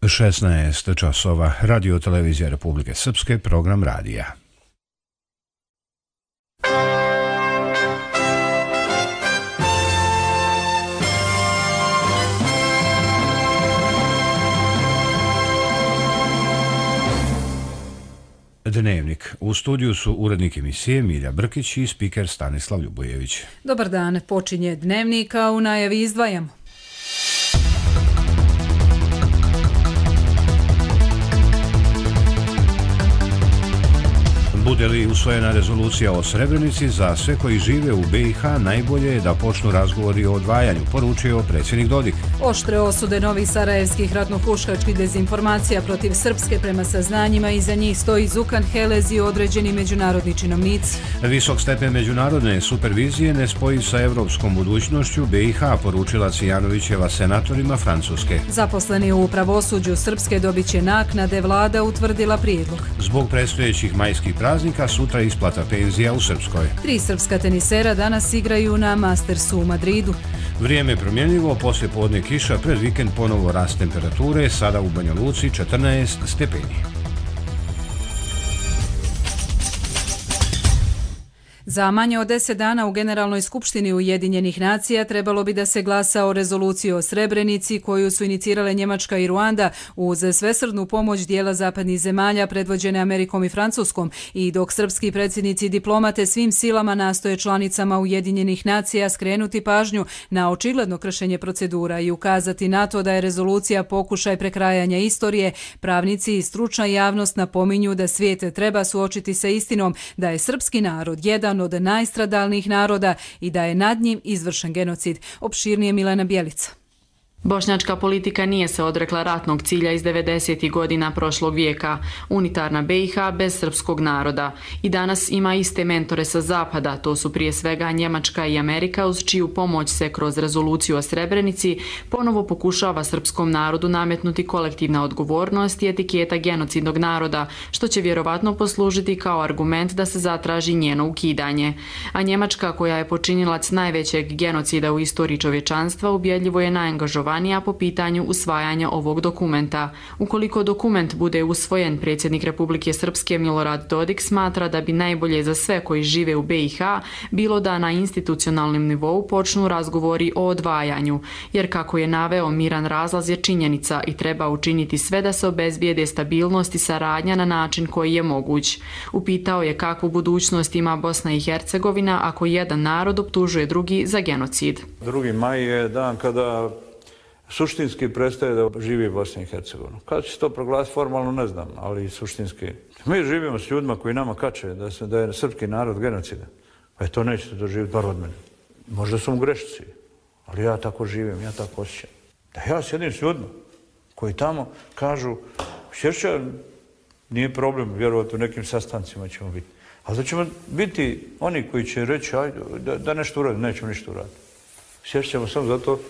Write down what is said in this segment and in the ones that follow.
16 časova, Radio televizija Republike Srpske, program radija. Dnevnik. U studiju su urednik emisije Milja Brkić i spiker Stanislav Ljubojević. Dobar dan, počinje Dnevnik, a u najavi izdvajamo. Bude li usvojena rezolucija o Srebrenici, za sve koji žive u BiH najbolje je da počnu razgovori o odvajanju, poručio predsjednik Dodik. Oštre osude novih sarajevskih ratno-huškačkih dezinformacija protiv Srpske prema saznanjima, iza njih stoji Zukan Helez i određeni međunarodni činovnici. Visok stepen međunarodne supervizije ne spoji sa evropskom budućnošću BiH, poručila Cijanovićeva senatorima Francuske. Zaposleni u pravosuđu Srpske dobit će naknade, vlada utvrdila prijedlog. Zbog predstojećih majskih praznika sutra isplata penzija u Srpskoj. 3 srpska tenisera danas igraju na Mastersu u Madridu. Vrijeme je promjenljivo, poslije podne kiša, pred vikend ponovo rast temperature, sada u Banja Luci 14 stepeni. Za manje od 10 dana u Generalnoj skupštini Ujedinjenih nacija trebalo bi da se glasa o rezoluciji o Srebrenici koju su inicirale Njemačka i Ruanda uz svesrdnu pomoć dijela zapadnih zemalja predvođene Amerikom i Francuskom, i dok srpski predsjednici i diplomate svim silama nastoje članicama Ujedinjenih nacija skrenuti pažnju na očigledno kršenje procedura i ukazati na to da je rezolucija pokušaj prekrajanja istorije, pravnici i stručna javnost napominju da svijet treba suočiti sa istinom da je srpski narod jedan od najstradalnijih naroda i da je nad njim izvršen genocid. Opširnije Milena Bjelica. Bošnjačka politika nije se odrekla ratnog cilja iz 90. godina prošlog vijeka, unitarna BiH bez srpskog naroda. I danas ima iste mentore sa zapada, to su prije svega Njemačka i Amerika, uz čiju pomoć se kroz rezoluciju o Srebrenici ponovo pokušava srpskom narodu nametnuti kolektivna odgovornost i etiketa genocidnog naroda, što će vjerovatno poslužiti kao argument da se zatraži njeno ukidanje. A Njemačka, koja je počinilac najvećeg genocida u istoriji čovječanstva, ubjedljivo je najangažovanija po pitanju usvajanja ovog dokumenta. Ukoliko dokument bude usvojen, predsjednik Republike Srpske Milorad Dodik smatra da bi najbolje za sve koji žive u BiH bilo da na institucionalnom nivou počnu razgovori o odvajanju, jer kako je naveo, miran razlaz je činjenica i treba učiniti sve da se obezbijede stabilnost i saradnja na način koji je moguć. Upitao je kakvu budućnost ima Bosna i Hercegovina ako jedan narod optužuje drugi za genocid. 2. maj je dan kada suštinski prestaje da živi Bosna i Hercegovina. Kada će se to proglasiti formalno, ne znam, ali suštinski. Mi živimo s ljudima koji nama kače da je srpski narod genocida. Pa to nećete doživjeti bar od mene. Možda su mu grešci, ali ja tako živim, ja tako osjećam. Da ja sjedim s ljudima koji tamo kažu, Šešća, nije problem, vjerovati u nekim sastancima ćemo biti. Ali da ćemo biti oni koji će reći, ajde, da nešto uradimo, nećemo ništa uraditi. Sješće ćemo samo zato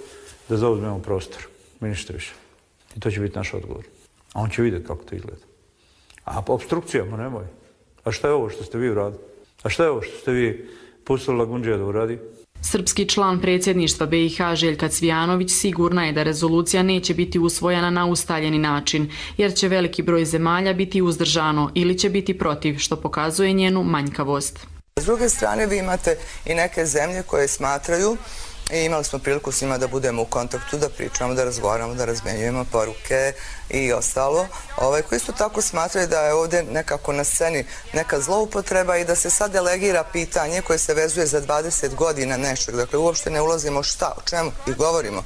da zauzmemo prostor, mi ništa više. I to će biti naš odgovor. A on će vidjeti kako to izgleda. A po obstrukcijama nemoj. A šta je ovo što ste vi uradili? A šta je ovo što ste vi pustili Lagundžija da uradi? Srpski član predsjedništva BiH Željka Cvijanović sigurna je da rezolucija neće biti usvojena na ustaljeni način, jer će veliki broj zemalja biti uzdržano ili će biti protiv, što pokazuje njenu manjkavost. S druge strane, vi imate i neke zemlje koje smatraju, i imali smo priliku s njima da budemo u kontaktu, da pričamo, da razgovaramo, da razmenjujemo poruke i ostalo, koji isto tako smatraju da je ovdje nekako na sceni neka zloupotreba i da se sad delegira pitanje koje se vezuje za 20 godina nečeg. Dakle, uopšte ne ulazimo šta, o čemu i govorimo.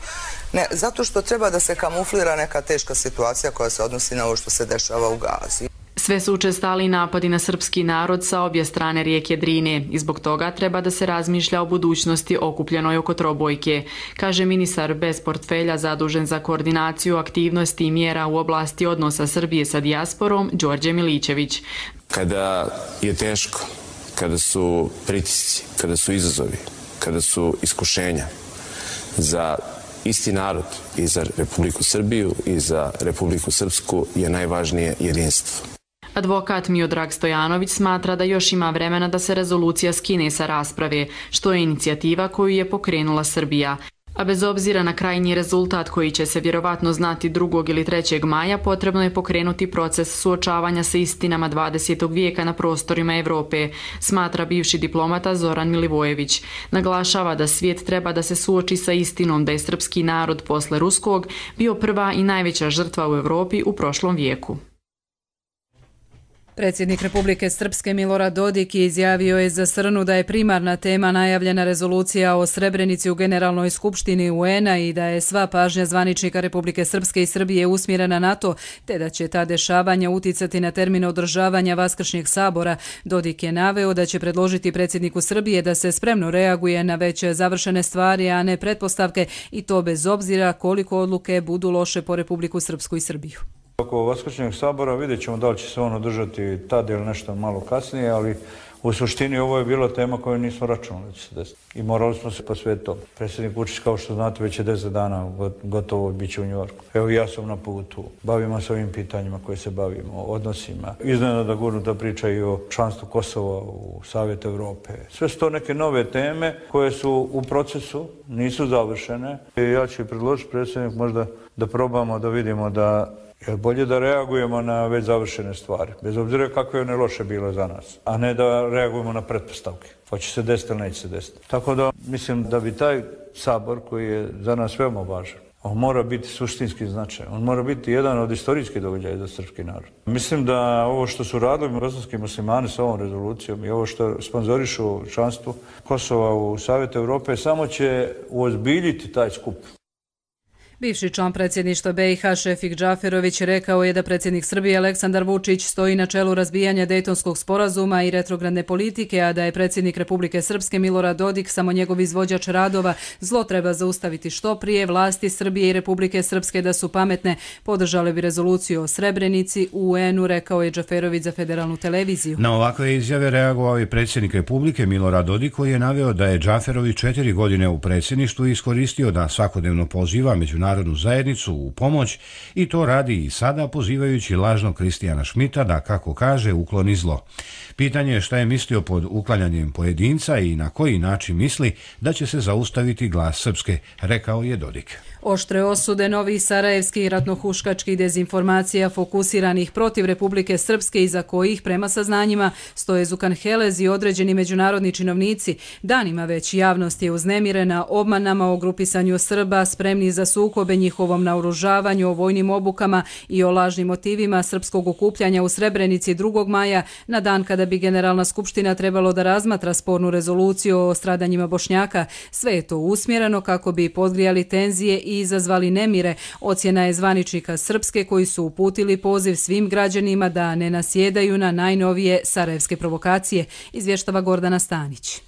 Ne, zato što treba da se kamuflira neka teška situacija koja se odnosi na ovo što se dešava u Gazi. Sve su učestali napadi na srpski narod sa obje strane rijeke Drine i zbog toga treba da se razmišlja o budućnosti okupljenoj oko trobojke, kaže ministar bez portfelja zadužen za koordinaciju aktivnosti i mjera u oblasti odnosa Srbije sa dijasporom, Đorđe Milićević. Kada je teško, kada su pritisci, kada su izazovi, kada su iskušenja za isti narod i za Republiku Srbiju i za Republiku Srpsku je najvažnije jedinstvo. Advokat Miodrag Stojanović smatra da još ima vremena da se rezolucija skine sa rasprave, što je inicijativa koju je pokrenula Srbija. A bez obzira na krajnji rezultat koji će se vjerovatno znati 2. ili 3. maja, potrebno je pokrenuti proces suočavanja sa istinama 20. vijeka na prostorima Europe, smatra bivši diplomata Zoran Milivojević. Naglašava da svijet treba da se suoči sa istinom da je srpski narod posle ruskog bio prva i najveća žrtva u Europi u prošlom vijeku. Predsjednik Republike Srpske Milorad Dodik izjavio je za Srnu da je primarna tema najavljena rezolucija o Srebrenici u Generalnoj skupštini UN-a i da je sva pažnja zvaničnika Republike Srpske i Srbije usmjerena na to, te da će ta dešavanja uticati na termin održavanja Vaskršnjeg sabora. Dodik je naveo da će predložiti predsjedniku Srbije da se spremno reaguje na već završene stvari, a ne pretpostavke, i to bez obzira koliko odluke budu loše po Republiku Srpsku i Srbiju. Oko Vaskršnjeg sabora vidjet ćemo da li će se on održati tad ili nešto malo kasnije, ali u suštini ovo je bila tema koju nismo računali da će se desiti. I morali smo se posvetiti tomu. Predsjednik Vučić, kao što znate, već je 10 dana gotovo bit će u Njujorku. Evo ja sam na putu. Bavimo se ovim pitanjima koje se bavimo, odnosima. Iznenada gurnuta priča i o članstvu Kosova u Savjetu Europe. Sve su to neke nove teme koje su u procesu, nisu završene. I ja ću predložiti predsjednik možda da probamo da vidimo da je bolje da reagujemo na već završene stvari, bez obzira kakve one loše bile za nas, a ne da reagujemo na pretpostavke. Hoće se desiti ili neće se desiti. Tako da mislim da bi taj sabor koji je za nas veoma važan, on mora biti suštinski značajan. On mora biti jedan od istorijskih događaja za srpski narod. Mislim da ovo što su radili bosanski muslimani sa ovom rezolucijom i ovo što sponzorišu članstvo Kosova u Savjetu Europe samo će uozbiljiti taj skup. Bivši član predsjedništva BiH Šefik Džaferović rekao je da predsjednik Srbije Aleksandar Vučić stoji na čelu razbijanja Dejtonskog sporazuma i retrogradne politike, a da je predsjednik Republike Srpske Milorad Dodik samo njegov izvođač radova. Zlo treba zaustaviti što prije. Vlasti Srbije i Republike Srpske da su pametne podržale bi rezoluciju o Srebrenici u UN-u, rekao je Džaferović za federalnu televiziju. Na ovakve izjave reagovao je predsjednik Republike Milorad Dodik, koji je naveo da je Džaferović 4 godine u predsjedništvu iskoristio da svakodnevno poziva međunarodnu zajednicu u pomoć i to radi i sada, pozivajući lažnog Kristijana Šmita da, kako kaže, ukloni zlo. Pitanje je šta je mislio pod uklanjanjem pojedinca i na koji način misli da će se zaustaviti glas Srpske, rekao je Dodik. Oštre osude novih sarajevskih ratnohuškačkih dezinformacija fokusiranih protiv Republike Srpske, iza kojih, prema saznanjima, stoje Zukan Helez i određeni međunarodni činovnici. Danima već javnost je uznemirena obmanama o grupisanju Srba, spremni za sukobe, njihovom naoružavanju, o vojnim obukama i o lažnim motivima srpskog okupljanja u Srebrenici 2. maja, na dan kada bi Generalna skupština trebalo da razmatra spornu rezoluciju o stradanjima Bošnjaka. Sve je to usmjereno kako bi podgrijali tenzije i izazvali nemire, ocjena je zvaničnika Srpske, koji su uputili poziv svim građanima da ne nasjedaju na najnovije sarajevske provokacije, izvještava Gordana Stanić.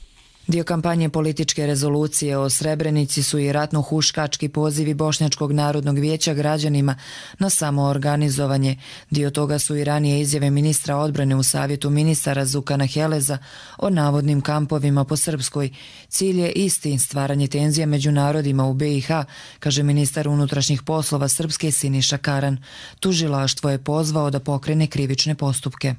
Dio kampanje političke rezolucije o Srebrenici su i ratno-huškački pozivi Bošnjačkog narodnog vijeća građanima na samoorganizovanje. Dio toga su i ranije izjave ministra odbrane u Savjetu ministara Zukana Heleza o navodnim kampovima po Srpskoj. Cilj je isti, stvaranje tenzija među narodima u BiH, kaže ministar unutrašnjih poslova Srpske Siniša Karan. Tužilaštvo je pozvao da pokrene krivične postupke.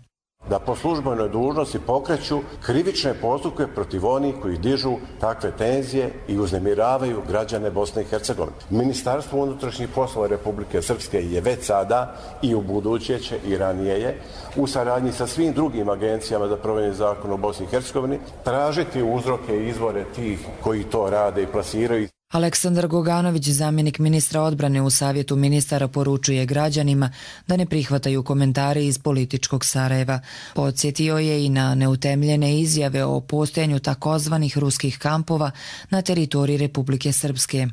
Da po službenoj dužnosti pokreću krivične postupke protiv onih koji dižu takve tenzije i uznemiravaju građane Bosne i Hercegovine. Ministarstvo unutrašnjih poslova Republike Srpske je već sada i u buduće će i ranije je u saradnji sa svim drugim agencijama za provedbu zakona u Bosni i Hercegovini tražiti uzroke i izvore tih koji to rade i plasiraju. Aleksandar Goganović, zamjenik ministra odbrane u Savjetu ministara, poručuje građanima da ne prihvataju komentare iz političkog Sarajeva. Podsjetio je i na neutemljene izjave o postojanju takozvanih ruskih kampova na teritoriji Republike Srpske.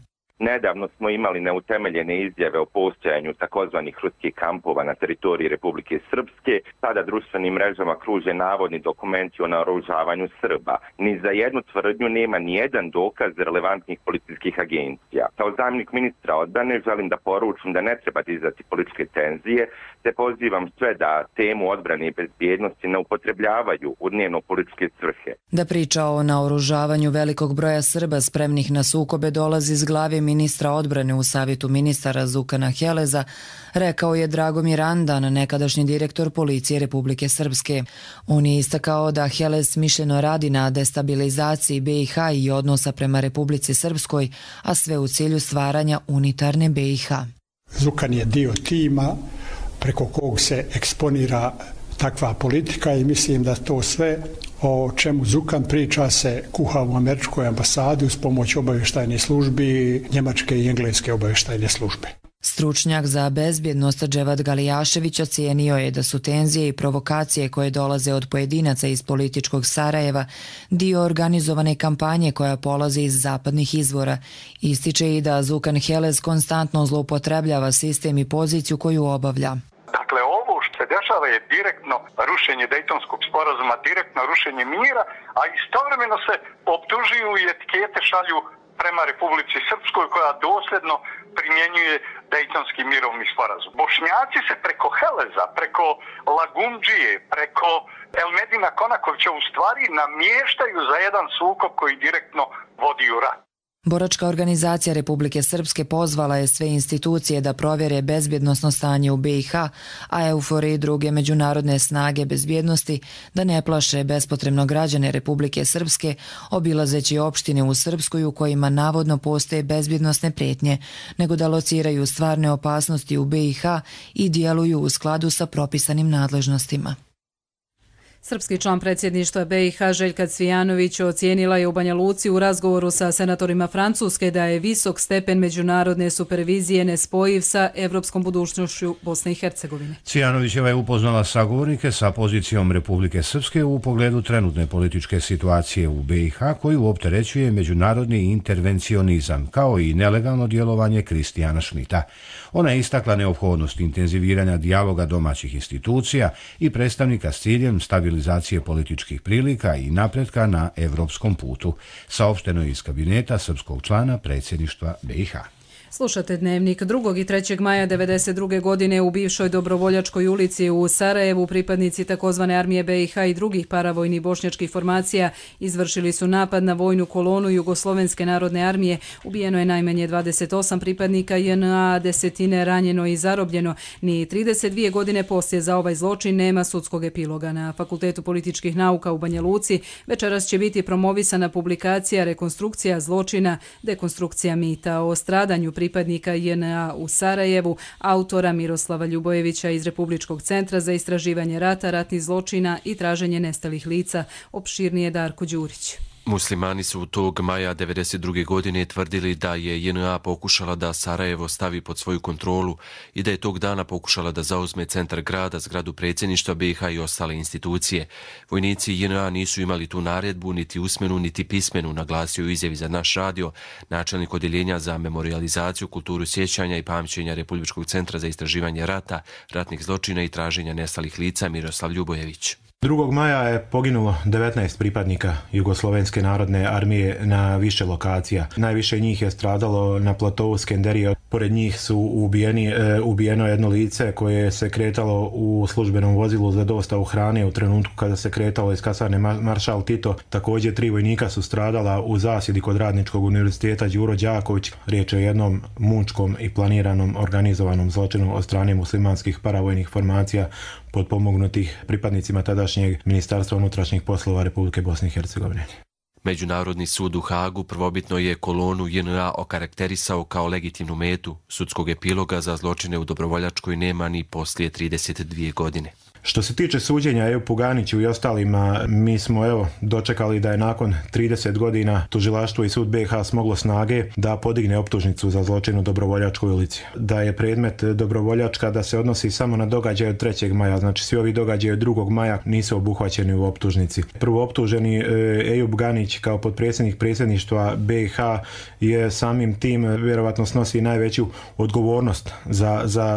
Nedavno smo imali neutemeljene izjave o postojanju takozvanih ruskih kampova na teritoriji Republike Srpske. Sada društvenim mrežama kruže navodni dokumenti o naoružavanju Srba. Ni za jednu tvrdnju nema ni jedan dokaz relevantnih policijskih agencija. Kao zamjenik ministra odbrane želim da poručim da ne treba dizati političke tenzije, te pozivam sve da temu odbrane i bezbjednosti ne upotrebljavaju u dnevno političke svrhe. Da priča o naoružavanju velikog broja Srba spremnih na sukobe dolazi iz glave ministra odbrane u savjetu ministara Zukana Heleza, rekao je Dragomir Andan, nekadašnji direktor policije Republike Srpske. On je istakao da Helez smišljeno radi na destabilizaciji BiH i odnosa prema Republici Srpskoj, a sve u cilju stvaranja unitarne BiH. Zukan je dio tima preko kog se eksponira takva politika i mislim da to sve o čemu Zukan priča se kuha u američkoj ambasadi uz pomoć obavještajnih službi, njemačke i engleske obavještajne službe. Stručnjak za bezbjednost Dževad Galijašević ocijenio je da su tenzije i provokacije koje dolaze od pojedinaca iz političkog Sarajeva dio organizovane kampanje koja polazi iz zapadnih izvora. Ističe i da Zukan Helez konstantno zloupotrebljava sistem i poziciju koju obavlja. Dakle, ovo što se dešava je direktno rušenje Dejtonskog sporazuma, direktno rušenje mira, a istovremeno se optužuju i etikete šalju prema Republici Srpskoj koja dosljedno primjenjuje Dejtonski mirovni sporazum. Bošnjaci se preko Heleza, preko Lagundžije, preko Elmedina Konakovića u stvari namještaju za jedan sukob koji direktno vodi u rat. Boračka organizacija Republike Srpske pozvala je sve institucije da provjere bezbjednosno stanje u BiH, a EUFOR i druge međunarodne snage bezbjednosti da ne plaše bespotrebno građane Republike Srpske obilazeći opštine u Srpskoj u kojima navodno postoje bezbjednosne prijetnje, nego da lociraju stvarne opasnosti u BiH i djeluju u skladu sa propisanim nadležnostima. Srpski član predsjedništva BiH Željka Cvijanović ocijenila je u Banja Luci u razgovoru sa senatorima Francuske da je visok stepen međunarodne supervizije nespojiv sa evropskom budućnošću Bosne i Hercegovine. Cvijanovićeva je upoznala sagovornike sa pozicijom Republike Srpske u pogledu trenutne političke situacije u BiH koju opterećuje međunarodni intervencionizam kao i nelegalno djelovanje Kristijana Šmita. Ona je istakla neophodnost intenziviranja dijaloga domaćih institucija i predstavnika s ciljem stabilizacije političkih prilika i napretka na evropskom putu, saopšteno je iz kabineta srpskog člana predsjedništva BiH. Slušate Dnevnik. 2. i 3. maja 1992. godine u bivšoj Dobrovoljačkoj ulici u Sarajevu pripadnici takozvane armije BiH i drugih paravojnih bošnjačkih formacija izvršili su napad na vojnu kolonu Jugoslovenske narodne armije. Ubijeno je najmanje 28 pripadnika JNA, desetine ranjeno i zarobljeno. Ni 32 godine poslije za ovaj zločin nema sudskog epiloga. Na Fakultetu političkih nauka u Banja Luci večeras će biti promovisana publikacija Rekonstrukcija zločina, dekonstrukcija mita o stradanju pripadnika JNA u Sarajevu, autora Miroslava Ljubojevića iz Republičkog centra za istraživanje rata, ratnih zločina i traženje nestalih lica. Opširnije Darko Đurić. Muslimani su tog maja 1992. godine tvrdili da je JNA pokušala da Sarajevo stavi pod svoju kontrolu i da je tog dana pokušala da zauzme centar grada, zgradu predsjedništva BiH i ostale institucije. Vojnici JNA nisu imali tu naredbu, niti usmenu, niti pismenu, naglasio u izjavi za naš radio načelnik odjeljenja za memorijalizaciju, kulturu sjećanja i pamćenja Republičkog centra za istraživanje rata, ratnih zločina i traženja nestalih lica Miroslav Ljubojević. 2. maja je poginulo 19 pripadnika Jugoslovenske narodne armije na više lokacija. Najviše njih je stradalo na platovu Skenderije. Pored njih su ubijeno jedno lice koje se kretalo u službenom vozilu za dostavu hrane u trenutku kada se kretalo iz kasarne Maršal Tito. Također 3 vojnika su stradala u zasjedi kod Radničkog univerziteta Đuro Đaković. Riječ je o jednom mučkom i planiranom organizovanom zločinu od strane muslimanskih paravojnih formacija potpomognutih pripadnicima tadašnjeg Ministarstva unutrašnjih poslova Republike Bosne i Hercegovine. Međunarodni sud u Hagu prvobitno je kolonu JNA okarakterisao kao legitimnu metu. Sudskog epiloga za zločine u Dobrovoljačkoj nema ni poslije 32 godine. Što se tiče suđenja Ejupu Ganiću i ostalima, mi smo dočekali da je nakon 30 godina tužilaštvo i sud BiH smoglo snage da podigne optužnicu za zločin u Dobrovoljačkoj ulici. Da je predmet Dobrovoljačka da se odnosi samo na događaje od 3. maja, znači svi ovi događaje od 2. maja nisu obuhvaćeni u optužnici. Prvo optuženi Ejup Ganić kao potpredsjednik predsjedništva BiH je samim tim vjerovatno snosi najveću odgovornost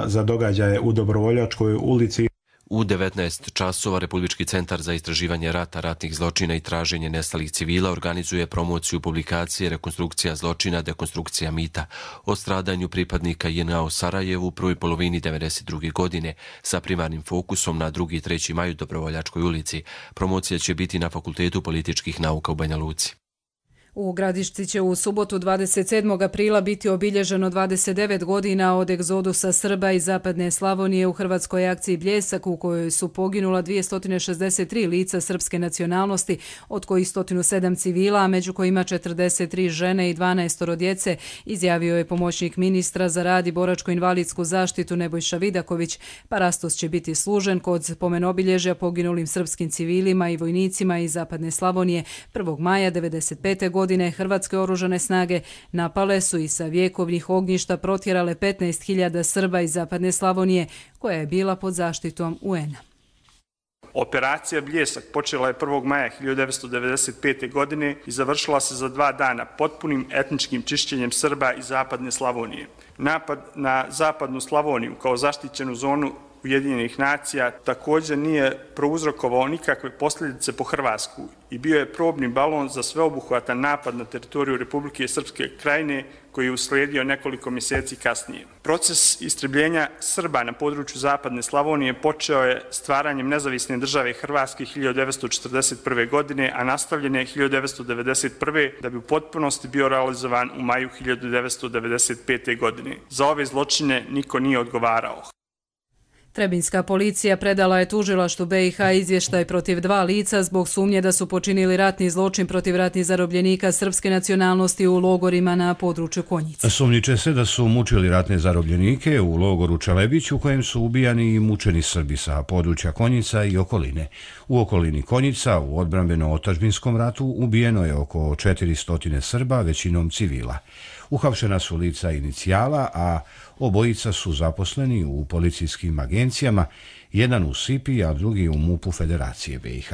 za događaje u Dobrovoljačkoj ulici. U 19 časova Republički centar za istraživanje rata, ratnih zločina i traženje nestalih civila organizuje promociju publikacije Rekonstrukcija zločina, dekonstrukcija mita o stradanju pripadnika JNA u Sarajevu u prvoj polovini 1992. godine sa primarnim fokusom na 2. i 3. maju Dobrovoljačkoj ulici. Promocija će biti na Fakultetu političkih nauka u Banja Luci. U Gradišci će u subotu 27. aprila biti obilježeno 29 godina od egzodusa Srba iz zapadne Slavonije u hrvatskoj akciji Bljesak, u kojoj su poginula 263 lica srpske nacionalnosti, od kojih 107 civila, a među kojima 43 žene i 12 djece, izjavio je pomoćnik ministra za rad i boračko-invalidsku zaštitu Nebojša Vidaković. Parastos će biti služen kod spomenobilježja poginulim srpskim civilima i vojnicima iz zapadne Slavonije. 1. maja 1995. godine hrvatske oružane snage napale su i sa vjekovnih ognjišta protjerale 15.000 Srba iz zapadne Slavonije, koja je bila pod zaštitom UN-a. Operacija Bljesak počela je 1. maja 1995. godine i završila se za 2 dana potpunim etničkim čišćenjem Srba iz zapadne Slavonije. Napad na zapadnu Slavoniju kao zaštićenu zonu Ujedinjenih nacija također nije prouzrokovao nikakve posljedice po Hrvatsku i bio je probni balon za sveobuhvatan napad na teritoriju Republike Srpske Krajine koji je uslijedio nekoliko mjeseci kasnije. Proces istrebljenja Srba na području zapadne Slavonije počeo je stvaranjem nezavisne države Hrvatske 1941. godine, a nastavljen je 1991. da bi u potpunosti bio realizovan u maju 1995. godine. Za ove zločine niko nije odgovarao. Trebinjska policija predala je tužilaštvu BiH izvještaj protiv 2 lica zbog sumnje da su počinili ratni zločin protiv ratnih zarobljenika srpske nacionalnosti u logorima na području Konjica. Sumnjiče se da su mučili ratne zarobljenike u logoru Čelebić, u kojem su ubijani i mučeni Srbi sa područja Konjica i okoline. U okolini Konjica u odbrambeno-otadžbinskom ratu ubijeno je oko 400 Srba, većinom civila. Uhapšena su lica inicijala, a obojica su zaposleni u policijskim agencijama, jedan u SIPI, a drugi u MUP-u Federacije BiH.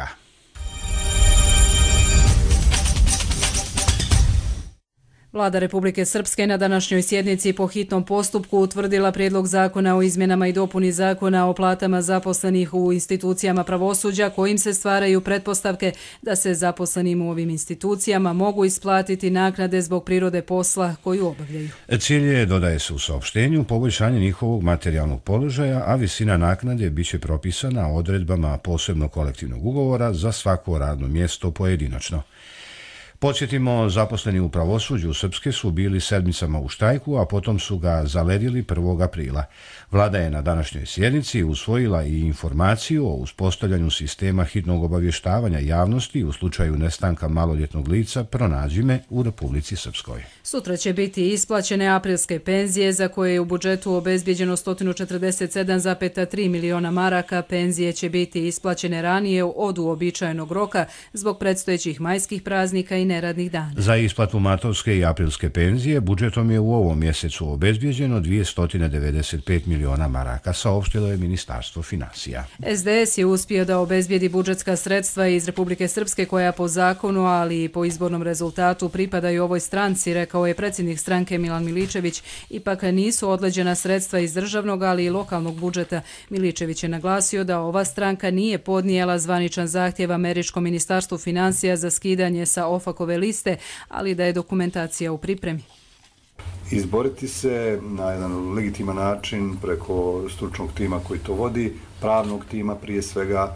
Vlada Republike Srpske na današnjoj sjednici po hitnom postupku utvrdila prijedlog zakona o izmjenama i dopuni zakona o platama zaposlenih u institucijama pravosuđa, kojim se stvaraju pretpostavke da se zaposlenim u ovim institucijama mogu isplatiti naknade zbog prirode posla koju obavljaju. Cilj je, dodaje se u saopštenju, poboljšanje njihovog materijalnog položaja, a visina naknade biće propisana odredbama posebnog kolektivnog ugovora za svako radno mjesto pojedinačno. Podsjetimo, zaposleni u pravosuđu Srpske su bili sedmicama u štrajku, a potom su ga zaledili 1. aprila. Vlada je na današnjoj sjednici usvojila i informaciju o uspostavljanju sistema hitnog obavještavanja javnosti u slučaju nestanka maloljetnog lica pronađime u Republici Srpskoj. Sutra će biti isplaćene aprilske penzije za koje je u budžetu obezbijeđeno 147,3 miliona maraka. Penzije će biti isplaćene ranije od uobičajenog roka zbog predstojećih majskih praznika i neradnih dana. Za isplatu matovske i aprilske penzije budžetom je u ovom mjesecu obezbijeđeno 295 miliona maraka, saopštilo je Ministarstvo finansija. SDS je uspio da obezbijedi budžetska sredstva iz Republike Srpske koja po zakonu, ali i po izbornom rezultatu pripadaju ovoj stranci, rekao je predsjednik stranke Milan Miličević. Ipak nisu odleđena sredstva iz državnog, ali i lokalnog budžeta. Miličević je naglasio da ova stranka nije podnijela zvaničan zahtjev američkom ministarstvu finansija za skidanje sa OFAC-ove liste, ali da je dokumentacija u pripremi. Izboriti se na jedan legitiman način preko stručnog tima koji to vodi, pravnog tima prije svega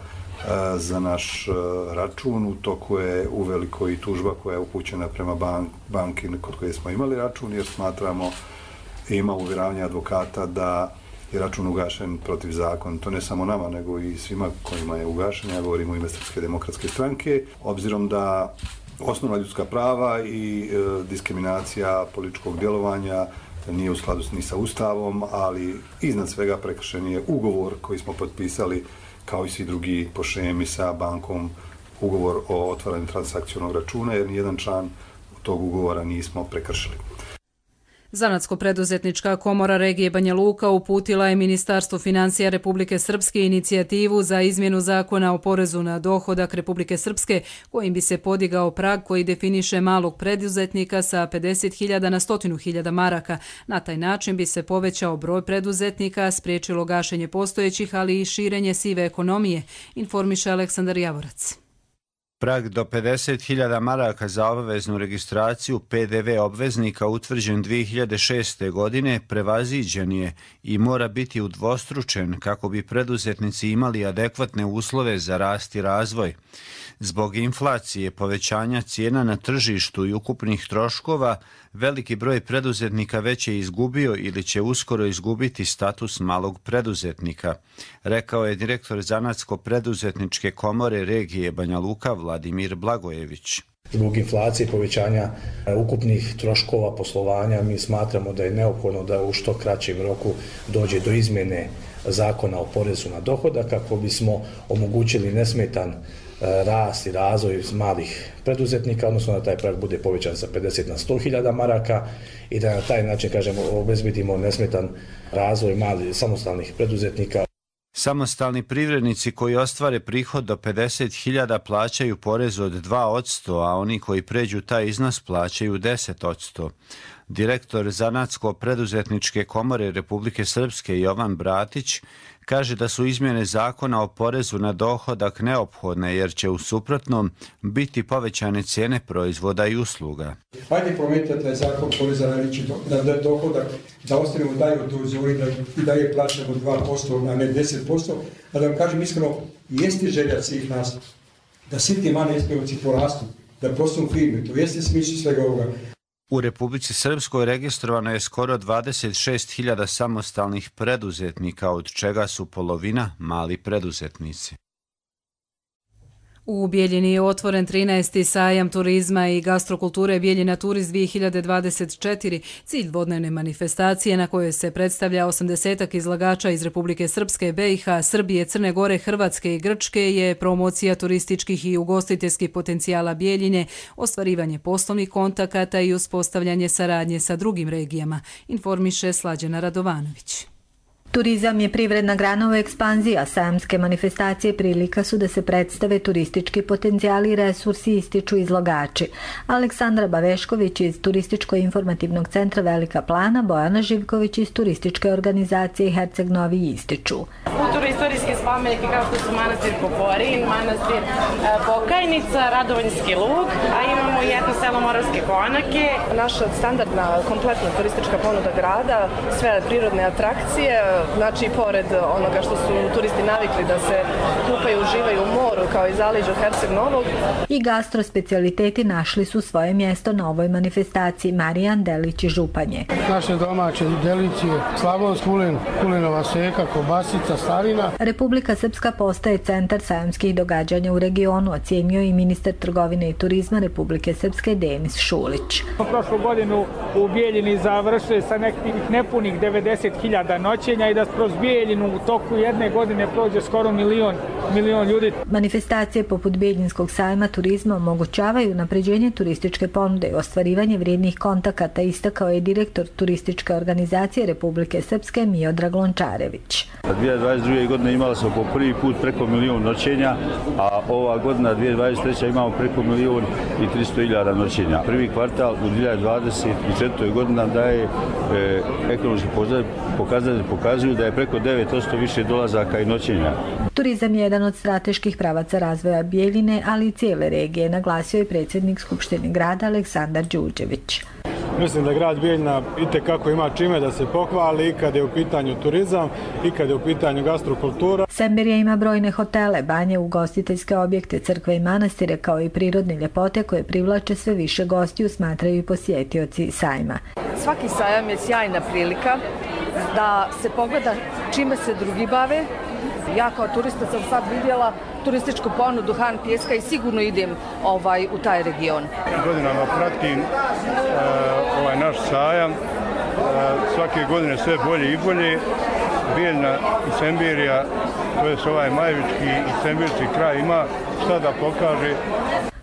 za naš račun. U toku je uveliko i tužba koja je upućena prema banki kod koje smo imali račun, jer smatramo i ima uvjeravanje advokata da je račun ugašen protiv zakona. To ne samo nama, nego i svima kojima je ugašen. Ja govorim u ime Srpske demokratske stranke, obzirom da osnovna ljudska prava i diskriminacija političkog djelovanja nije u skladu ni sa Ustavom, ali iznad svega prekršen je ugovor koji smo potpisali kao i svi drugi po šemi sa bankom, ugovor o otvaranju transakcionog računa, jer nijedan član tog ugovora nismo prekršili. Zanatsko-preduzetnička komora regije Banja Luka uputila je Ministarstvu financija Republike Srpske inicijativu za izmjenu zakona o porezu na dohodak Republike Srpske, kojim bi se podigao prag koji definiše malog preduzetnika sa 50.000 na 100.000 maraka. Na taj način bi se povećao broj preduzetnika, spriječilo gašenje postojećih, ali i širenje sive ekonomije, informiše Aleksandar Javorac. Prag do 50.000 maraka za obaveznu registraciju PDV obveznika utvrđen 2006. godine prevaziđen je i mora biti udvostručen kako bi preduzetnici imali adekvatne uslove za rast i razvoj. Zbog inflacije, povećanja cijena na tržištu i ukupnih troškova, veliki broj preduzetnika već je izgubio ili će uskoro izgubiti status malog preduzetnika, rekao je direktor Zanatsko-preduzetničke komore regije Banja Luka Vladimir Blagojević. Zbog inflacije i povećanja ukupnih troškova poslovanja mi smatramo da je neophodno da u što kraćem roku dođe do izmjene zakona o porezu na dohodak kako bismo omogućili nesmetan rast i razvoj malih preduzetnika, odnosno da taj prag bude povećan sa 50 na 100.000 maraka i da na taj način, kažemo, obezbedimo nesmetan razvoj malih samostalnih preduzetnika. Samostalni privrednici koji ostvare prihod do 50.000 plaćaju porez od 2%, a oni koji pređu taj iznos plaćaju 10%. Direktor Zanatsko-preduzetničke komore Republike Srpske Jovan Bratić kaže da su izmjene zakona o porezu na dohodak neophodne jer će u suprotnom biti povećane cijene proizvoda i usluga. Hajde promijenite taj zakon poreza na dohodak, da ostavimo dalje u toj zoni, da dalje plaćamo 2%, a ne 10%. A da vam kažem iskreno, jeste želja svih nas da svi ti mali SPO-ci porastu, da postanu firme, to jeste smisao svega ovoga. U Republici Srpskoj registrovano je skoro 26.000 samostalnih preduzetnika, od čega su polovina mali preduzetnici. U Bijeljini je otvoren 13. sajam turizma i gastrokulture Bijeljina Turist 2024, cilj dvodnevne manifestacije na kojoj se predstavlja 80 izlagača iz Republike Srpske, BiH, Srbije, Crne Gore, Hrvatske i Grčke je promocija turističkih i ugostiteljskih potencijala Bijeljine, ostvarivanje poslovnih kontakata i uspostavljanje saradnje sa drugim regijama, informiše Slađana Radovanović. Turizam je privredna grana u ekspanziji, a sajamske manifestacije prilika su da se predstave turistički potencijali i resursi, ističu izlagači. Aleksandra Bavešković iz Turističko-informativnog centra Velika Plana, Bojana Živković iz turističke organizacije Herceg Novi ističu. Kulturno-istorijski spomeniki kao što su manastir Poporin, manastir Pokajnica, Radovanjski lug, a imamo i jedno selo Moravske Konake. Naša standardna kompletna turistička ponuda grada, sve prirodne atrakcije, znači pored onoga što su turisti navikli da se kupaju, uživaju u moru kao i zaleđu Herceg Novog. I gastrospecialiteti našli su svoje mjesto na ovoj manifestaciji. Marijan Delić iz Županje. Naše domaće delicije, slavonski kulen, kulenova seka, kobasica, starina. Republika Srpska postaje centar sajamskih događanja u regionu, ocjenio i ministar trgovine i turizma Republike Srpske Denis Šulić. Prošlu godinu u Bijeljini završili sa nekih nepunih 90.000 noćenja i da kroz Bijeljinu u toku jedne godine prođe skoro milion ljudi. Manifestacije poput Bijeljinskog sajma turizma omogućavaju unapređenje turističke ponude i ostvarivanje vrijednih kontakata, istakao je direktor turističke organizacije Republike Srpske Miodrag Lončarević. 2022. godine imali smo po prvi put preko 1.000.000 noćenja, a ova godina 2023. imamo preko 1.300.000 noćenja. Prvi kvartal u 2024. godina daje ekonomski pokazatelji pokazuju da je preko 9% više dolazaka i noćenja. Turizam je jedan od strateških pravaca razvoja Bijeljine, ali i cijele regije, naglasio je predsjednik Skupštine grada Aleksandar Đurđević. Mislim da grad Bijeljina itekako ima čime da se pohvali i kad je u pitanju turizam i kad je u pitanju gastrokultura. Semberija ima brojne hotele, banje, ugostiteljske objekte, crkve i manastire, kao i prirodne ljepote koje privlače sve više gostiju, smatraju i posjetioci sajma. Svaki sajam je sjajna prilika da se pogleda čime se drugi bave. Ja kao turista sam sad vidjela turističku ponudu Han Pijeska i sigurno idem u taj region. Godinama pratim ovaj naš sajam, svake godine sve bolje i bolje. Bijeljina i Semberija, to je ovaj Majevički i Semberski kraj ima šta da pokaže.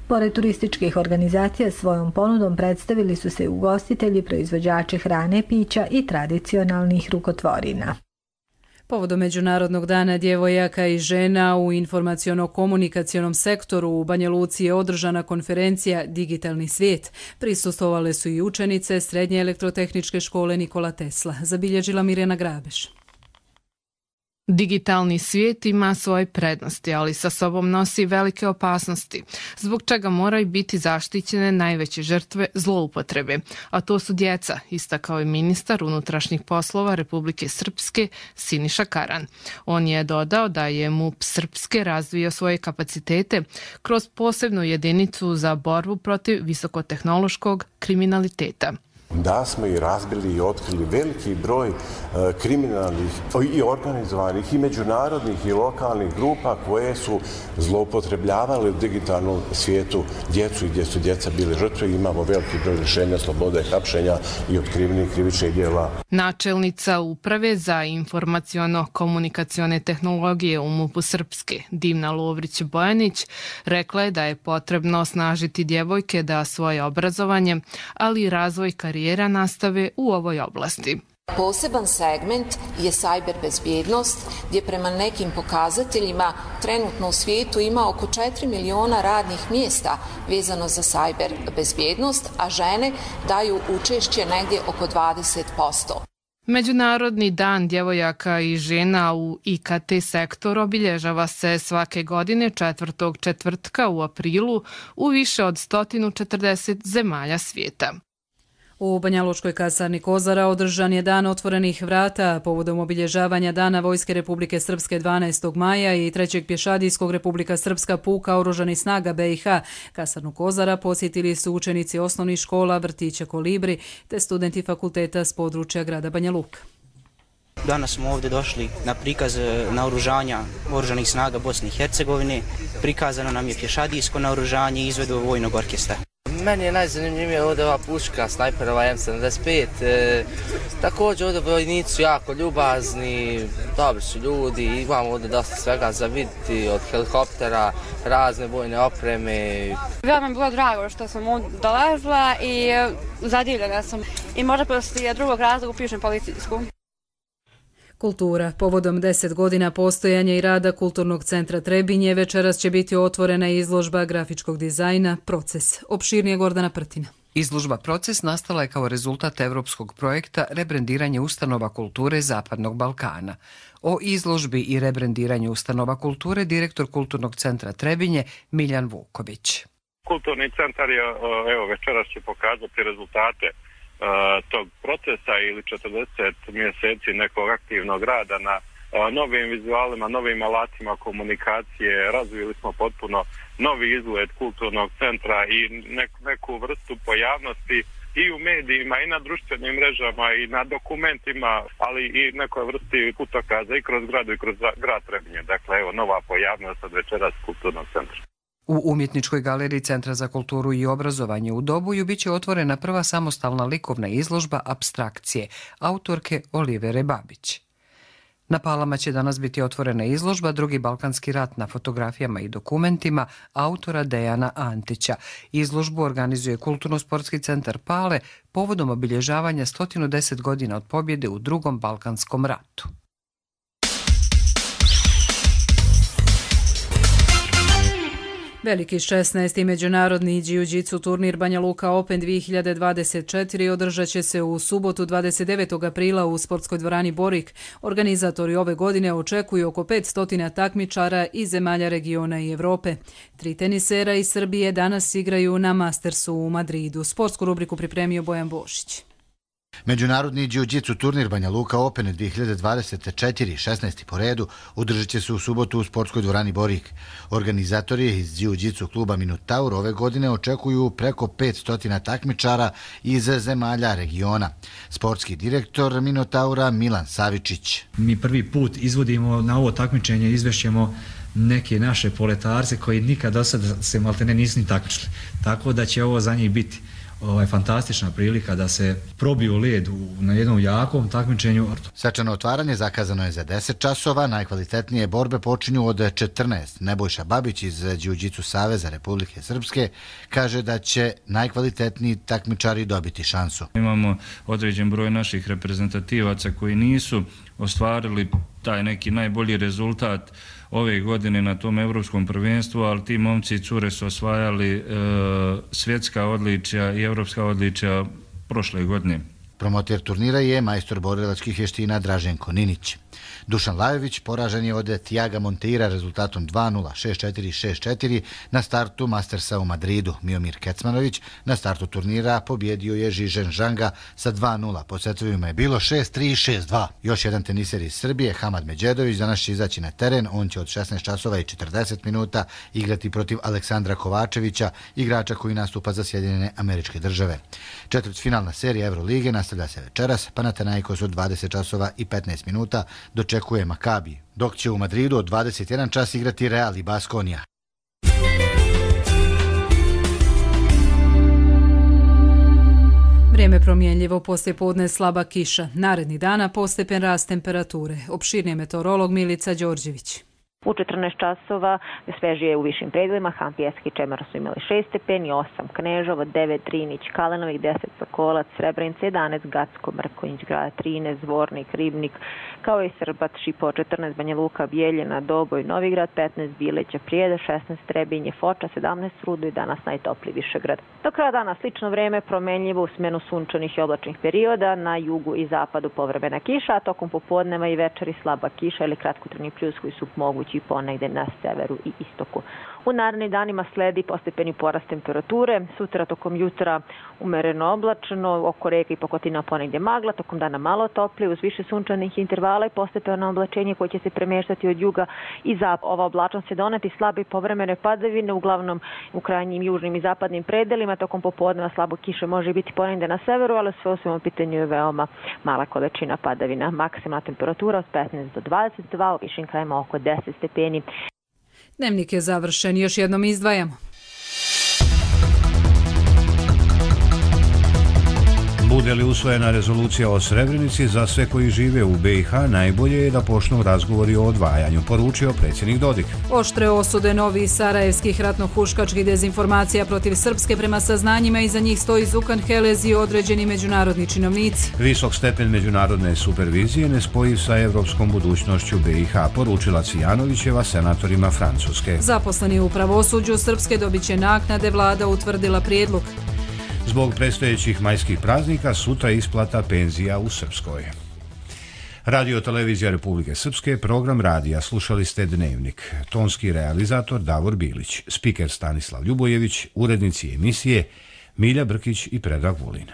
Pored turističkih organizacija svojom ponudom predstavili su se ugostitelji, proizvođači hrane, pića i tradicionalnih rukotvorina. Povodom Međunarodnog dana djevojaka i žena u informaciono-komunikacionom sektoru u Banja Luci je održana konferencija Digitalni svijet. Prisustvovale su i učenice Srednje elektrotehničke škole Nikola Tesla, zabilježila Mirjana Grabeš. Digitalni svijet ima svoje prednosti, ali sa sobom nosi velike opasnosti, zbog čega moraju biti zaštićene najveće žrtve zloupotrebe, a to su djeca, istakao je ministar unutrašnjih poslova Republike Srpske Siniša Karan. On je dodao da je MUP Srpske razvio svoje kapacitete kroz posebnu jedinicu za borbu protiv visokotehnološkog kriminaliteta. Da smo i razbili i otkrili veliki broj kriminalnih i organizovanih i međunarodnih i lokalnih grupa koje su zloupotrebljavale u digitalnom svijetu djecu i gdje su djeca bili žrtve. Imamo veliki broj rješenja slobode hapšenja i otkrivenih krivičnih djela. Načelnica Uprave za informaciono-komunikacione tehnologije u MUP-u Srpske, Divna Lovrić-Bojanić, rekla je da je potrebno osnažiti djevojke da svoje obrazovanje, ali i razvoj karijera nastave u ovoj oblasti. Poseban segment je cyber bezbjednost, gdje prema nekim pokazateljima trenutno u svijetu ima oko 4 miliona radnih mjesta vezano za cyber bezbjednost, a žene daju učešće negdje oko 20%. Međunarodni dan djevojaka i žena u IKT sektoru obilježava se svake godine 4. četvrtka u aprilu u više od 140 zemalja svijeta. U Banjalučkoj kasarni Kozara održan je dan otvorenih vrata povodom obilježavanja Dana Vojske Republike Srpske 12. maja i 3. pješadijskog Republika Srpska puka oružanih snaga BiH. Kasarnu Kozara posjetili su učenici osnovnih škola, vrtića Kolibri te studenti fakulteta s područja grada Banja Luka. Danas smo ovdje došli na prikaz naoružanja oružanih snaga Bosne i Hercegovine. Prikazano nam je pješadijsko naoružanje i izvedba vojnog orkestra. Meni je najzanimljivije ovdje ova puška, snajperova M75. Također ovdje vojnici su jako ljubazni, dobri su ljudi, imamo ovdje dosta svega za vidjeti, od helikoptera, razne vojne opreme. Veoma mi je bilo drago što sam ovdje dolazila i zadivljena sam. I možda poslije drugog razloga upišem policijsku. Kultura. Povodom 10 godina postojanja i rada Kulturnog centra Trebinje večeras će biti otvorena izložba grafičkog dizajna Proces. Opširnije Gordana Prtina. Izložba Proces nastala je kao rezultat evropskog projekta Rebrendiranje ustanova kulture Zapadnog Balkana. O izložbi i rebrendiranju ustanova kulture direktor Kulturnog centra Trebinje Miljan Vuković. Kulturni centar je večeras će pokazati rezultate tog procesa ili 40 mjeseci nekog aktivnog rada na novim vizualima, novim alatima komunikacije. Razvili smo potpuno novi izgled kulturnog centra i neku vrstu pojavnosti i u medijima i na društvenim mrežama i na dokumentima, ali i nekoj vrsti putokaza i kroz gradu i kroz grad Trebinje. Dakle, evo nova pojavnost od večeras kulturnog centra. U Umjetničkoj galeriji Centra za kulturu i obrazovanje u Dobuju biće otvorena prva samostalna likovna izložba Apstrakcije, autorke Olivere Babić. Na Palama će danas biti otvorena izložba Drugi balkanski rat na fotografijama i dokumentima autora Dejana Antića. Izložbu organizuje Kulturno-sportski centar Pale povodom obilježavanja 110 godina od pobjede u Drugom balkanskom ratu. Veliki 16. međunarodni jiu-jitsu turnir Banja Luka Open 2024 održat će se u subotu 29. aprila u sportskoj dvorani Borik. Organizatori ove godine očekuju oko 500 takmičara iz zemalja regiona i Evrope. 3 tenisera iz Srbije danas igraju na Mastersu u Madridu. Sportsku rubriku pripremio Bojan Bošić. Međunarodni jiu-jitsu turnir Banja Luka Open 2024, 16. po redu, održat će se u subotu u sportskoj dvorani Borik. Organizatori iz jiu-jitsu kluba Minotaur ove godine očekuju preko 500 takmičara iz zemalja regiona. Sportski direktor Minotaura Milan Savičić. Mi prvi put izvodimo na ovo takmičenje, izvešćemo neke naše poletarce koji nikad do sada se maltene nisu ni takmičili. Tako da će ovo za njih biti fantastična prilika da se probiju led na jednom jakom takmičenju. Svečano otvaranje zakazano je za 10 časova, najkvalitetnije borbe počinju od 14. Nebojša Babić iz Jiu-Jitsu Saveza Republike Srpske kaže da će najkvalitetniji takmičari dobiti šansu. Imamo određen broj naših reprezentativaca koji nisu ostvarili taj neki najbolji rezultat ove godine na tom evropskom prvenstvu, ali ti momci i cure su osvajali svjetska odličja i evropska odličja prošle godine. Promoter turnira je majstor borilačkih vještina Draženko Ninić. Dušan Lajović poražen je od Tiaga Monteira rezultatom 2-0, 6-4, 6-4 na startu Mastersa u Madridu. Miomir Kecmanović na startu turnira pobjedio je Žižen Žanga sa 2-0. Po setovima je bilo 6-3, 6-2. Još jedan teniser iz Srbije, Hamad Međedović, danas će izaći na teren. On će od 16 časova i 40 minuta igrati protiv Aleksandra Kovačevića, igrača koji nastupa za Sjedinjene Američke Države. Četvrtfinalna serija Evrolige nastavlja se večeras. Panathinaikos od 20 časova i 15 minuta dočekuje Makabi, dok će u Madridu od 21 čas igrati Real i Baskonija. Vrijeme promjenljivo, poslijepodne slaba kiša. Narednih dana postepen rast temperature. Opširnije meteorolog Milica Đorđević. U 14 časova svežije u višim predelima, Han, Pjeski i Čemer su imali 6 stepeni, 8 Knežovo, 9 Drinić, Kalenovik, 10 Sokolac, Srebrenica, 11 Gacko, Mrkonjić, Grada 13, Zvornik, Ribnik, kao i Srbat, Šipo, 14 Banja Luka, Bijeljina, Doboj, Novigrad, 15 Bileća, Prijeda, 16 Trebinje, Foča, 17 Rudo i danas najtopliji Višegrad. Do kraja dana slično vreme, promenljivo u smenu sunčanih i oblačnih perioda, na jugu i zapadu povremena kiša, a tokom popodneva i večeri slaba kiša ili kratkotrajni pljus koji su mogući i ponegde na severu i istoku. U narednim danima sledi postepeni porast temperature, sutra tokom jutra umereno oblačno, oko reka i Pakotina ponegdje magla, tokom dana malo toplije, uz više sunčanih intervala i postepeno oblačenje koje će se premještati od juga i zapada. Ova oblačnost će doneti slabe povremene padavine, uglavnom u krajnjim južnim i zapadnim predelima, tokom popodneva slabo kiše može biti ponegdje na severu, ali sve u svemu pitanju je veoma mala količina padavina. Maksimalna temperatura od 15 do 22, u višim krajima oko 10 stepeni. Dnevnik je završen, još jednom izdvajamo. Bude li usvojena rezolucija o Srebrenici, za sve koji žive u BiH najbolje je da počnu razgovori o odvajanju, poručio predsjednik Dodik. Oštre osude novih sarajevskih ratno-huškačkih dezinformacija protiv Srpske prema saznanjima iza njih stoji Zukan Helez i određeni međunarodni činovnici. Visok stepen međunarodne supervizije nespojiv sa evropskom budućnošću BiH, poručila Cvijanovićeva senatorima Francuske. Zaposleni u pravosuđu Srpske dobit će naknade, vlada utvrdila prijedlog. Zbog predstojećih majskih praznika sutra isplata penzija u Srpskoj. Radio Televizija Republike Srpske, program radija, slušali ste Dnevnik. Tonski realizator Davor Bilić, spiker Stanislav Ljubojević, urednici emisije Milja Brkić i Predrag Vulin.